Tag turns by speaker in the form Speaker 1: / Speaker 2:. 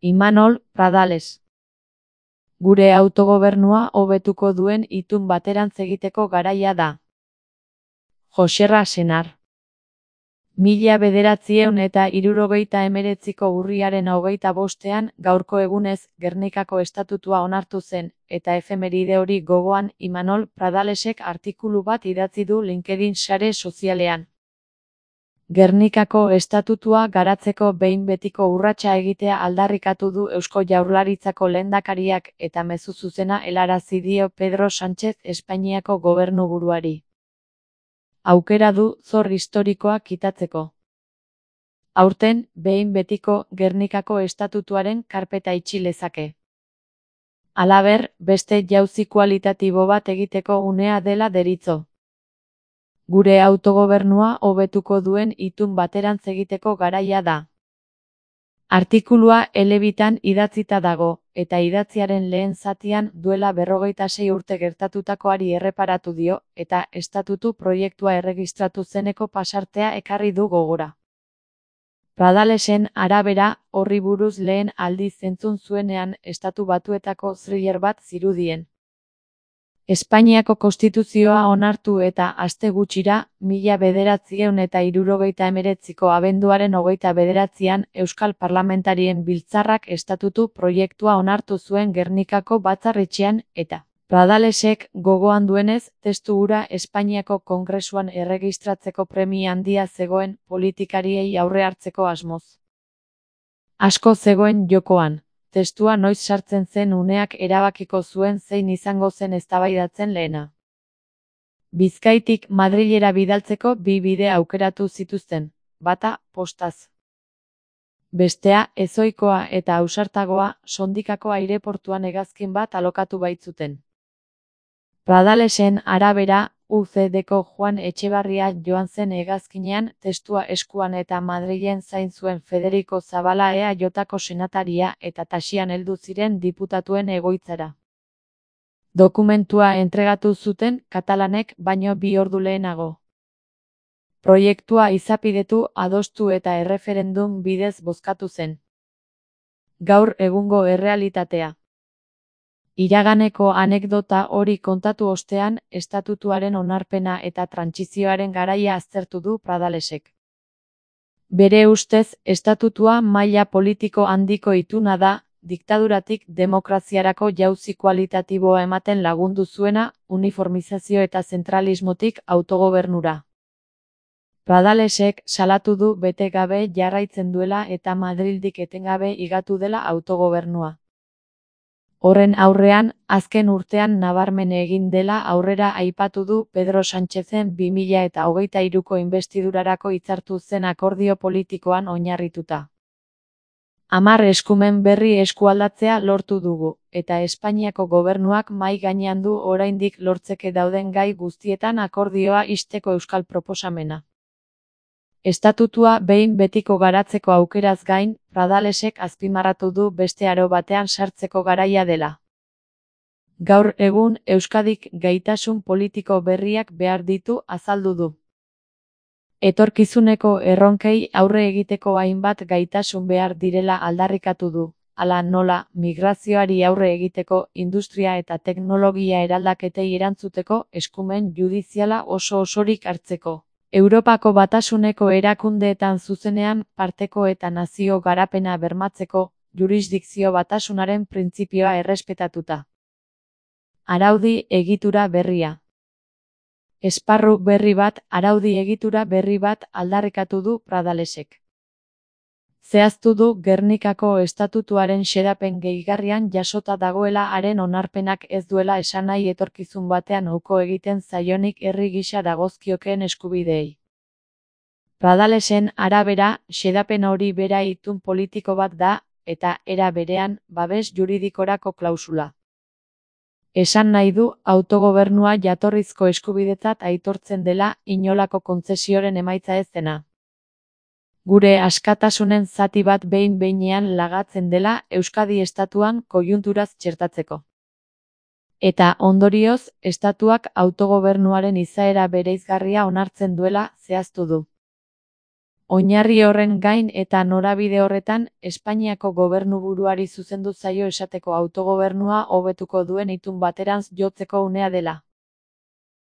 Speaker 1: Imanol Pradales. Gure autogobernua hobetuko duen itun baterantz egiteko garaia da. Joserra Senar. 1979ko urriaren 25ean gaurko egunez Gernikako estatutua onartu zen, eta efemeride hori gogoan Imanol Pradalesek artikulu bat idatzi du LinkedIn sare sozialean. Gernikako estatutua garatzeko behin betiko urratsa egitea aldarrikatu du Eusko Jaurlaritzako lehendakariak eta mezu zuzena helarazi dio Pedro Sánchez Espainiako gobernuburuari. Aukera du zor historikoa kitatzeko. Aurten, behin betiko Gernikako estatutuaren karpeta itxi lezake. Halaber, beste jauzi kualitatibo bat egiteko unea dela deritzo. Gure autogobernua hobetuko duen itun baterantz egiteko garaia da. Artikulua elebitan idatzita dago, eta idatziaren lehen zatian duela 46 urte gertatutakoari erreparatu dio, eta estatutu proiektua erregistratu zeneko pasartea ekarri du gogora. Pradalesen arabera, horri buruz lehen aldiz entzun zuenean Estatu Batuetako thriller bat zirudien. Espainiako konstituzioa onartu eta aste gutxira, 1979ko abenduaren 29ean Euskal Parlamentarien Biltzarrak estatutu proiektua onartu zuen Gernikako batzar-etxean, eta Pradalesek gogoan duenez, testu hura Espainiako Kongresuan erregistratzeko premia handia zegoen politikariei aurre hartzeko asmoz. Asko zegoen jokoan. Testua noiz sartzen zen uneak erabakiko zuen zein izango zen eztabaidatzen lehena. Bizkaitik Madrilera bidaltzeko bi bide aukeratu zituzten, bata postaz. Bestea ezohikoa eta ausartagoa, Sondikako aireportuan hegazkin bat alokatu baitzuten. Pradalesen arabera, UCDko Juan Etxebarria joan zen hegazkinean testua eskuan eta Madrilen zain zuen Federico Zabala EAJko senataria eta Taxian heldu ziren diputatuen egoitzara. Dokumentua entregatu zuten katalanek baino 2 ordu lehenago. Proiektua izapidetu, adostu eta erreferendum bidez bozkatu zen. Gaur egungo errealitatea. Iraganeko anekdota hori kontatu ostean, estatutuaren onarpena eta trantsizioaren garaia aztertu du Pradalesek. Bere ustez, estatutua maila politiko handiko ituna da, diktaduratik demokraziarako jauzi kualitatiboa ematen lagundu zuena, uniformizazio eta zentralismotik autogobernura. Pradalesek salatu du bete gabe jarraitzen duela eta Madrildik etengabe igatu dela autogobernua. Horren aurrean, azken urtean nabarmen egin dela aurrera aipatu du Pedro Sánchezen 2023ko inbestidurarako hitzartu zen akordio politikoan oinarrituta. 10 eskumen berri eskualdatzea lortu dugu, eta Espainiako gobernuak mahai gainean du oraindik lortzeke dauden gai guztietan akordioa ixteko euskal proposamena. Estatutua behin betiko garatzeko aukeraz gain, Pradalesek azpimarratu du beste aro batean sartzeko garaia dela. Gaur egun Euskadik gaitasun politiko berriak behar ditu azaldu du. Etorkizuneko erronkei aurre egiteko hainbat gaitasun behar direla aldarrikatu du, hala nola migrazioari aurre egiteko industria eta teknologia eraldaketei erantzuteko eskumen judiziala oso-osorik hartzeko. Europako Batasuneko erakundeetan zuzenean parteko eta nazio garapena bermatzeko, jurisdikzio batasunaren printzipioa errespetatuta. Araudi egitura berria. Esparru berri bat, araudi egitura berri bat aldarrikatu du Pradalesek. Zehaztu du Gernikako estatutuaren xedapen gehigarrian jasota dagoela haren onarpenak ez duela esan nahi etorkizun batean uko egiten zaionik herri gisa dagozkiokeen eskubideei. Pradalesen arabera, xedapen hori bera itun politiko bat da, eta era berean, babes juridikorako klausula. Esan nahi du autogobernua jatorrizko eskubidetzat aitortzen dela inolako kontzesioren emaitza ez dena. Gure askatasunen zati bat behin-behinean lagatzen dela Euskadi estatuan koiunturaz txertatzeko. Eta ondorioz, estatuak autogobernuaren izaera bereizgarria onartzen duela zehaztu du. Oinarri horren gain eta norabide horretan, Espainiako gobernuburuari zuzendu zaio esateko autogobernua hobetuko duen itun baterantz jotzeko unea dela.